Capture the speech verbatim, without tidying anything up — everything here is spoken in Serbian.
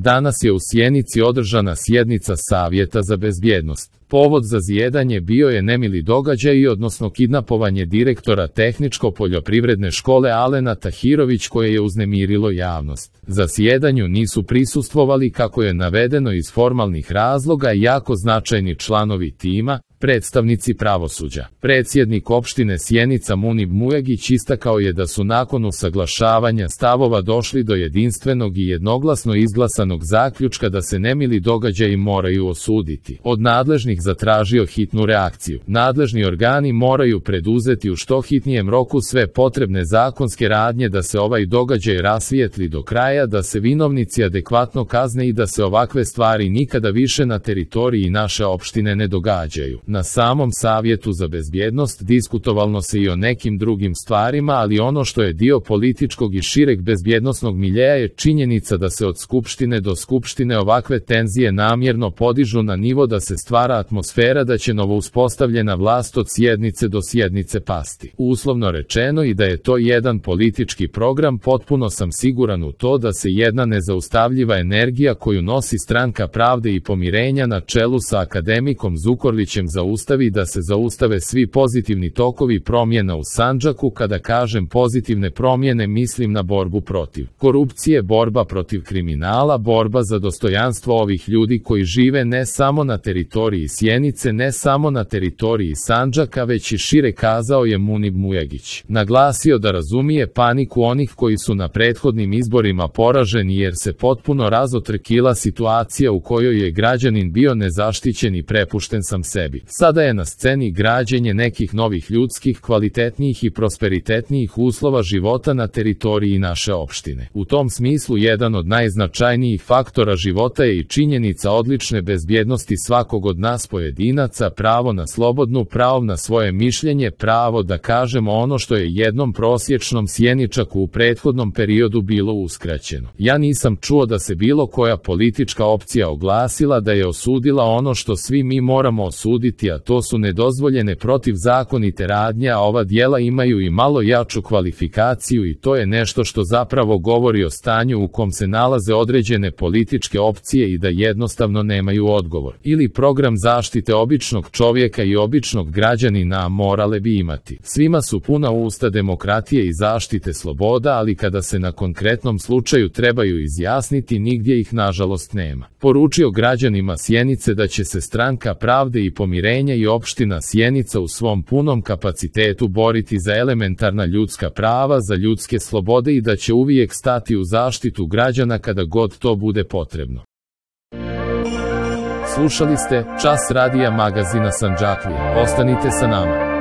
Danas je u Sjenici održana sjednica Savjeta za bezbjednost. Povod za zjedanje bio je nemili događaj, odnosno kidnapovanje direktora Tehničko-poljoprivredne škole Alena Tahirović, koje je uznemirilo javnost. Za sjedanju nisu prisustvovali, kako je navedeno, iz formalnih razloga jako značajni članovi tima, predstavnici pravosuđa. Predsjednik opštine Sjenica Munib Mujagić istakao je da su nakon usaglašavanja stavova došli do jedinstvenog i jednoglasno izglasanog zaključka da se nemili događaji moraju osuditi. Od nadležnih zatražio hitnu reakciju. Nadležni organi moraju preduzeti u što hitnijem roku sve potrebne zakonske radnje da se ovaj događaj rasvijetli do kraja, da se vinovnici adekvatno kazne i da se ovakve stvari nikada više na teritoriji naše opštine ne događaju. Na samom Savjetu za bezbjednost diskutovalno se i o nekim drugim stvarima, ali ono što je dio političkog i šireg bezbjednosnog miljeja je činjenica da se od skupštine do skupštine ovakve tenzije namjerno podižu na nivo da se stvara atmosfera da će novo uspostavljena vlast od sjednice do sjednice pasti. Uslovno rečeno, i da je to jedan politički program, potpuno sam siguran u to da se jedna nezaustavljiva energija koju nosi Stranka pravde i pomirenja na čelu sa akademikom Zukorlićem zaustavi, da se zaustave svi pozitivni tokovi promjena u Sandžaku. Kada kažem pozitivne promjene, mislim na borbu protiv korupcije, borba protiv kriminala, borba za dostojanstvo ovih ljudi koji žive ne samo na teritoriji Sjenice, ne samo na teritoriji Sandžaka, već i šire, kazao je Munib Mujagić. Naglasio da razumije paniku onih koji su na prethodnim izborima poraženi jer se potpuno razotrkila situacija u kojoj je građanin bio nezaštićen i prepušten sam sebi. Sada je na sceni građenje nekih novih ljudskih, kvalitetnijih i prosperitetnijih uslova života na teritoriji naše opštine. U tom smislu jedan od najznačajnijih faktora života je i činjenica odlične bezbjednosti svakog od nas pojedinaca, pravo na slobodnu, pravo na svoje mišljenje, pravo da kažemo ono što je jednom prosječnom Sjeničaku u prethodnom periodu bilo uskraćeno. Ja nisam čuo da se bilo koja politička opcija oglasila da je osudila ono što svi mi moramo osuditi, a to su nedozvoljene protivzakonite radnje, a ova djela imaju i malo jaču kvalifikaciju i to je nešto što zapravo govori o stanju u kom se nalaze određene političke opcije i da jednostavno nemaju odgovor ili program zaštite običnog čovjeka i običnog građanina, a morale bi imati. Svima su puna usta demokratije i zaštite sloboda, ali kada se na konkretnom slučaju trebaju izjasniti, nigdje ih nažalost nema. Poručio građanima Sjenice da će se Stranka pravde i pomirenja i opština Sjenica u svom punom kapacitetu boriti za elementarna ljudska prava, za ljudske slobode i da će uvijek stati u zaštitu građana kada god to bude potrebno. Slušali ste Čas radija magazina Sandžaklija. Ostanite sa nama.